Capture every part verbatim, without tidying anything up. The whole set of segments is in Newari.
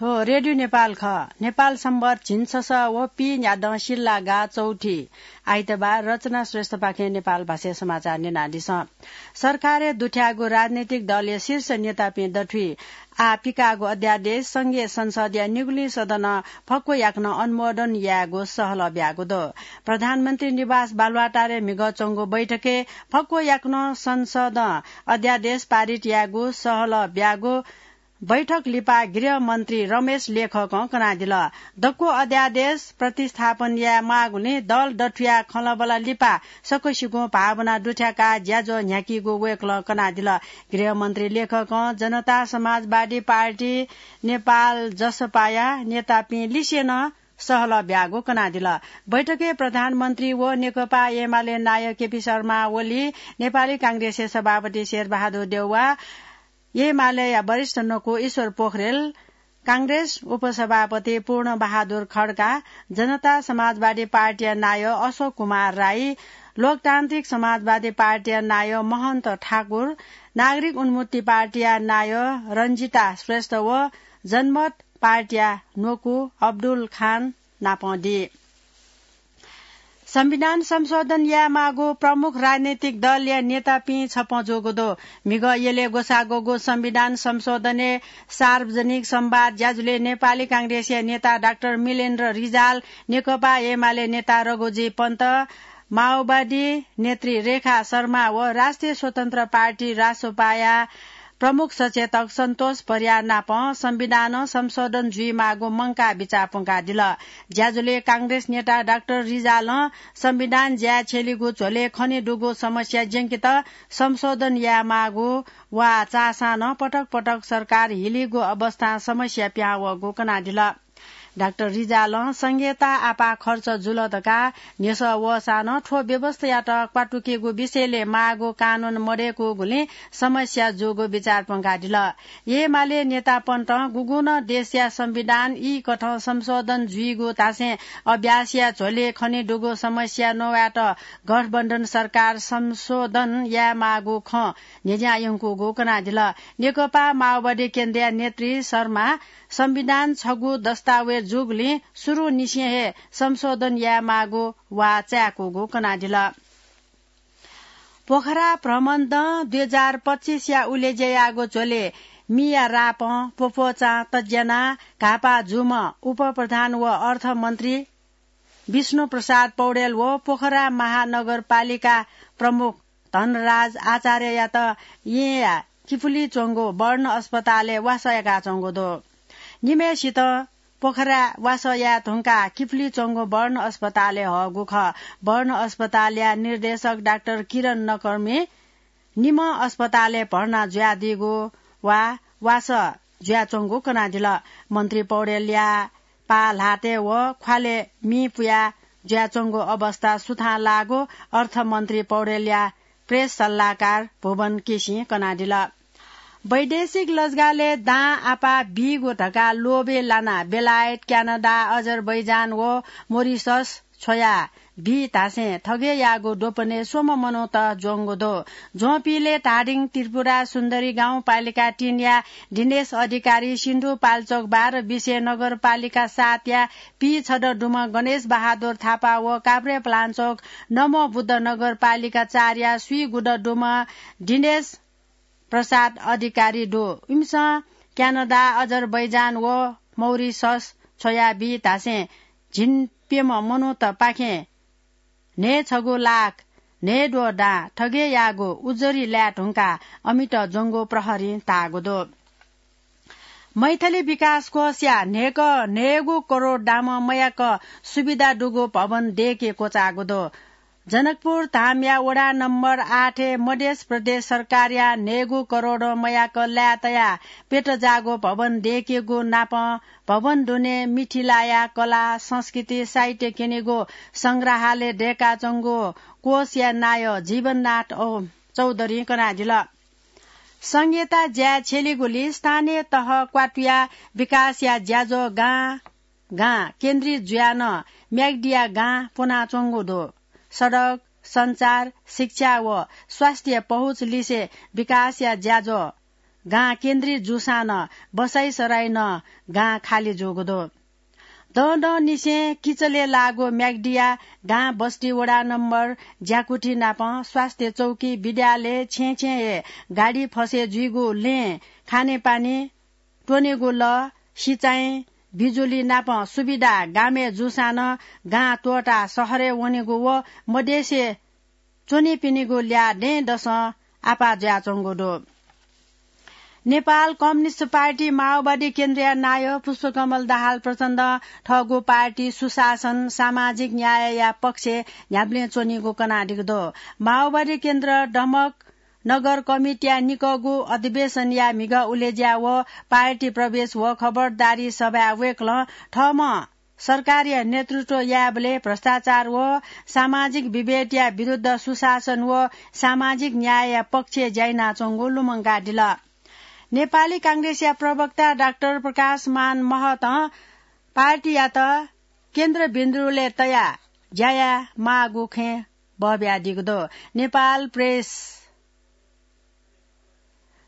थ्व रेडियो नेपाल खः। नेपाल सम्बत झिंछसः व पीन्यादँ सिल्लागा चौथी आइतबार रचना श्रेष्ठपाखें नेपाल भाषाय् समाचार न्यनादिसँ। सरकारय् दुथ्याःगु राजनैतिक दलया शीर्ष नेतापिं दथुइ आः पिकाःगु अध्यादेश संघीय संसदया निगुलिं सदनं फक्व याकनं अनुमोदन यायेगु सहलह ब्याःगु दु। प्रधानमन्त्री निवास बालुवाटारय् म्हिगः च्वंगु बैठकय् फक्व याकनं संसदं अध्यादेश पारित यायेगु सहलह ब्याःगु बैठक लिपा गृह मन्त्री रमेश लेखकं कनादिल। दक्व अध्यादेश प्रतिस्थापन याये माःगुलिं दल दथुया खँल्हाबल्हा लिपा सकसिगुं भावना दुथ्याकाः ज्याझ्वः न्ह्याकीगु वय्कलं कनादिल। गृह मन्त्री लेखकं जनता समाजवादी पार्टी नेपाल जसपाया नेतापिं लिसे नं सहलह ब्याःगु कनादिल। बैठकय् प्रधानमन्त्री व नेकपा एमाले नायः केपी शर्मा ओली, नेपाली कांग्रेसया सभापति शेरबहादुर देउवा, एमालेया वरिष्ठ न्वकू ईश्वर पोखरेल, कांग्रेस उपसभापति पूर्ण बहादुर खड्का, जनता समाजवादी पार्टीया नायः अशोक कुमार राई, लोकतान्त्रिक समाजवादी पार्टीया नायः महन्त ठाकुर, नागरिक उन्मुक्ति पार्टीया नायः रञ्जिता श्रेष्ठ व जनमत पार्टीया न्वकू अब्दुल खान नापं दी। संविधान संशोधन यायेमाःगु प्रमुख राजनैतिक दलया नेतापिं छपँ जूगु दु। म्हिगः यलय् ग्वसाः ग्वःगु संविधान संशोधनय् सार्वजनिक संवाद ज्याझ्वलय् नेपाली कांग्रेसया नेता डाक्टर मिलेन्द्र रिजाल, नेकपा एमाले नेता रघुजी पन्त, माओवादी नेत्री रेखा शर्मा व राष्ट्रिय स्वतन्त्र पार्टी रासोपाया प्रमुख सचेतक सन्तोष परियार नापं संविधानं संशोधन जुइमाःगु मंकाः बिचाः प्वंकादिल। ज्याझ्वलय् कांग्रेस नेता डाक्टर रिजालं संविधान ज्याय् छ्यलीगु झ्वलय् खनेदुगु समस्या ज्यंकेत संशोधन यायेमाःगु वा चाःसां नं पटक पटक सरकार हिलीगु अवस्थां समस्या पिहां वःगु कनादिल। डाक्टर रिजालं संघीयता आपाः खर्च जुल धकाः न्ह्यसः वःसां नं थ्व व्यवस्थायात क्वातुकेगु विषयलय् माःगु कानून मदय्कूगुलिं समस्या जूगु बिचाः प्वंकादिल। एमाले नेतापन्तं गुगुं नं देशया संविधान ई कथं संशोधन जुइगु धासें अभ्यासया झ्वलय् खनेदुगु समस्या नवायेत गठबन्धन सरकार संशोधन यायेमाःगु खँ न्ह्यज्यां यंकूगु कनादिल। नेकपा माओवादी केन्द्रया नेत्री शर्मा संविधान छगू दस्तावेज जूगुलिं सुरुंनिसें हे संशोधन यायेमाःगु वा चाय्कूगु कनादिल। पोखरा भ्रमणदँ दुई हजार पच्चिसया उलेज्या याःगु झ्वलय् मिया रापं प्वप्वचां तज्यानाः घाःपाः जूम्ह उपप्रधान व अर्थमन्त्री विष्णु प्रसाद पौडेल व पोखरा महानगरपालिका प्रमुख धनराज आचार्ययात येँया किपुली च्वंगु वर्ण अस्पतालय् वासः याकाच्वंगु दु। निम्हय्सित पोखरा वासः याये धुंकाः किपुली च्वंगु वर्ण अस्पतालय् हःगु खः। वर्ण अस्पतालया निर्देशक डाक्टर किरण नकर्मी निम्ह अस्पतालय् भर्ना जुयादीगु वा वासः जुयाच्वंगु कनादिल। मन्त्री पौडेलया पाः ल्हातय् व ख्वालय् मि पुया जुयाच्वंगु अवस्था सुथां लाःगु अर्थमन्त्री पौडेलया प्रेस सल्लाहकार भुवन केसीं कनादिल। वैदेशिक लजगालय् दां आपाः बीगु धकाः लोभय् लानाः बेलायत, क्यानाडा, अजरबैजान व मोरिसस छ्वया बी धासें थगय् याःगु द्वपनय् स्वम्ह मनूत ज्वंगु दु। ज्वंपिलय् धादिङ त्रिपुरा सुन्दरी गाउँपालिका तीनया दिनेश अधिकारी, सिन्धुपाल्चोक बाह्र बिसे नगरपालिका सातया पीछदँ दुम्ह गणेश बहादुर थापा व काभ्रेपलाञ्चोक नमो बुद्ध नगरपालिका चारया स्वीगुदँ दुम्ह दिनेश प्रसाद अधिकारी दु। इमिसं क्यानाडा, अजरबैजान व मौरिसस छ्वया बी धासें झिंप्यम्ह मनूतपाखें न्हय्छगू लाख न्हय्द्वः दां थगय् याःगु उजुरी लाये धुंकाः अमित ज्वंगु प्रहरीं धाःगु दु। मैथिली विकास कोषया न्हय्क न्हय्गू करोड दामं मयाक सुविधा दुगु भवन दय्के क्वचाःगु दु। जनकपुर धामया वडा नम्बर आठय् मधेस प्रदेश सरकारया न्हय्गू करोडं मयाक लाय् तयाः प्यत जाःगु भवन दय्केगु नापं भवन दुने मिथिलाया कला, संस्कृति, साहित्य क्यनेगु संग्रहालय दय्काच्वंगु कोषया नायः जीवननाथ औ चौधरीं कनादिल। संघीयता ज्याय् छ्यलीगुलिं स्थानीय तह क्वातुया विकासया ज्याझ्वः गां गां केन्द्रित जुयाः नं म्याग्दिया गां प्वनाच्वंगु दु। सडक, सञ्चार, शिक्षा व स्वास्थ्य पहुँच लिसे विकासया ज्याझ्वः गां केन्द्रित जूसां नं बसाइसराई नं गां खाली जूगु दु। दँ दँ निसें किचलय् लाःगु म्याग्दिया गां बस्ती वडा नम्बर ज्याकुथि नाप स्वास्थ्य चौकी, विद्यालय, छेँ छेँ हे गाडी फसे जुइगु, लँय् खानेपानी, त्वनेगु लः, सिँचाइ, बिजुली नाप सुविधा गामय् जूसां नं गां त्वःताः शहरय् वनेगु व मदेशय् च्वनीपिनिगु ल्याः दँय्‌दसं आपाः जुयाच्वंगु दु। नेपाल कम्युनिस्ट पार्टी माओवादी केन्द्रया नायः पुष्पकमल दाहाल प्रचण्डं थःगु पार्टी सुशासन, सामाजिक न्यायया पक्षय् न्ह्याबलें च्वनीगु कनादीगु दु। माओवादी केन्द्र दमक नगर कमिटीया निकःगु अधिवेशनया म्हिगः उलेज्या व पार्टी प्रवेश व खबरदारी सभाय् वय्‌कलं थःम्हं सरकारया नेतृत्व यायेबलय् भ्रष्टाचार व सामाजिक विभेदया विरुद्ध सुशासन व सामाजिक न्यायया पक्षय् ज्या यानाच्वंगु लुमंकादिल। नेपाली कांग्रेसया प्रवक्ता डाक्टर प्रकाशमान महतं पार्टीयात केन्द्रबिन्दुलय् तयाः ज्या यायेमाःगु खँय् बहबियादीगु दु। नेपाल प्रेस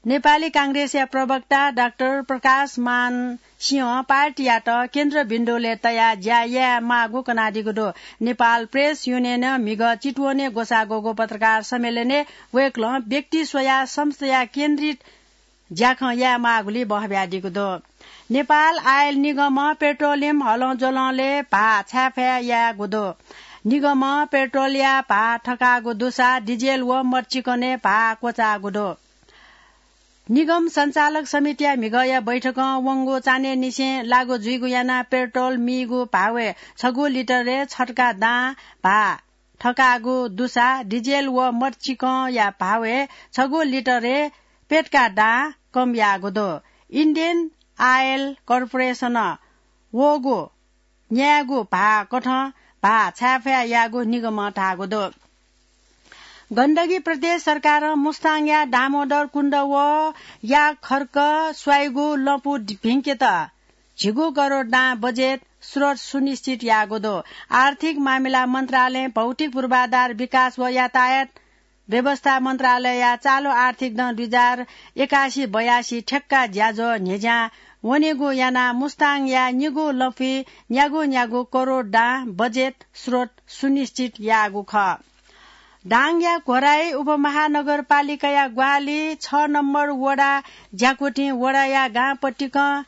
नेपाली कांग्रेसया प्रवक्ता डाक्टर प्रकाशमान सिंहं पार्टीयात केन्द्रबिन्दुलय् तयाः ज्या यायेमाःगु कनादीगु दु। नेपाल प्रेस युनियनं म्हिगः चितवनय् ग्वसाः ग्वःगु पत्रकार सम्मेलनय् वय्‌कलं व्यक्ति स्वयाः संस्थाया केन्द्रित ज्याखँ यायेमाःगुलिइ बहबियादीगु दु। नेपाल आयल निगमं पेट्रोलियम हलंज्वलंलय् भाः छाय्‌फाय् यायेगु दु। निगमं पेट्रोलया भाः थकाःगु दुसा डिजेल व मदचिकनय् भाः क्वचाःगु दु। निगम सञ्चालक समितिया म्हिगःया बैठकं वंगु चान्हय्‌निसें लागू जुइगु यानाः पेट्रोल मीगु भावय् छगू लिटरय् छटका दां भाः थकाःगु दुसा डिजेल व मदचिकंया भावय् छगू लिटरय् प्यतका दां कम याःगु दु। इन्डियन आयल कर्पोरेसनं वःगु न्यायेगु भाः कथं भाः छाय्‌फाय् याःगु निगमं धाःगु दु। गण्डकी प्रदेश सरकारं मुस्ताङया दामोदर कुण्ड व याकखर्क स्वाइगु लँपु भिंकेत झिगू करोड दां बजेट स्रोत सुनिश्चित याःगु दु। आर्थिक मामिला मन्त्रालयं भौतिक पूर्वाधार विकास व यातायात व्यवस्था मन्त्रालयया चालु आर्थिक दँ दुई हजार एकासी बयासी ठेक्का ज्याझ्वः न्ह्यज्यां वनेगु यानाः मुस्ताङया निगू लँपुइ न्यागू न्यागू करोड दां बजेट स्रोत सुनिश्चित याःगु खः। दाङया घोराइ उपमहानगरपालिकाया ग्वाहालि छ नम्बर वडा ज्याकुथिं वडाया गां पतिकं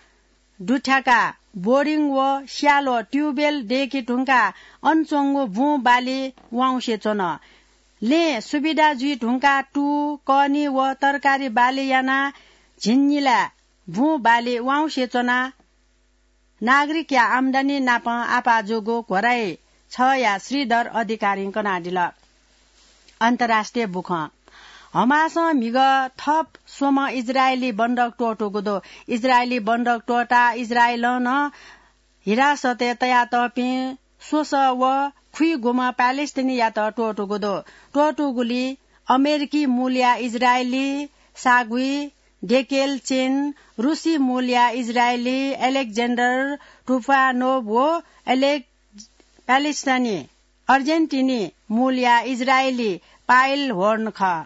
दुथ्याकाः बोरिङ व स्याल्वः ट्युबवेल दय्‌के धुंकाः अन च्वंगु बुँ बाली वाउँसे च्वन। लँय् सुविधा जुइ धुंकाः तू, कनी व तरकारी बाली यानाः झिंनिला बुँ बाली वाउँसे च्वनाः नागरिकया आम्दानी नाप आपाः जूगु घोराइ छया श्रीधर अधिकारीं कनादिल। अन्तर्राष्ट्रिय बुखँ। हमासं म्हिगः थप स्वम्ह इजरायली बन्धक त्वःतूगु दु। इजरायली बन्धक त्वःताः इजरायलं नं हिरासतय् तयातःपिं स्वसः व खुइगुम्ह प्यालेस्टिनीयात त्वःतूगु दु। त्वःतूगुलिइ अमेरिकी मूलया इजरायली सागुइ डेकेल चेन, रुसी मूलया इजरायली एलेक्जेन्डर टुफानोभ व एलेक-, प्यालेस्टानी, अर्जेन्टिनी मूलया इजरायली पाइल होर्न खः।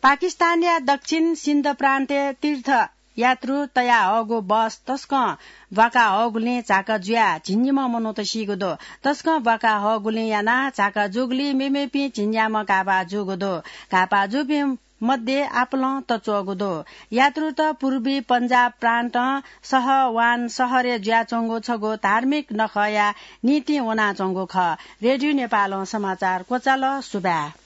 पाकिस्तानया दक्षिण सिन्ध प्रान्तय् तीर्थयात्रु तयाहःगु बस तसकं ब्वाकाहःगुलिं झाका जुयाः झिंनिम्ह मनूत सीगु दु। तसकं ब्वाकाहःगुलिं यानाः झाका जूगुलिइ मेमेपिं झिंन्याम्ह घाःपाः जूगु दु। घाःपाः जूपिं मध्ये आपालं तच्वःगु दु। यात्रुत पूर्वी पञ्जाब प्रान्तं सहवान सहरय् जुयाच्वंगु छगू धार्मिक नखःया निंतिं वनाच्वंगु खः। रेडियो नेपालं समाचार क्वचाल। सुभाय्।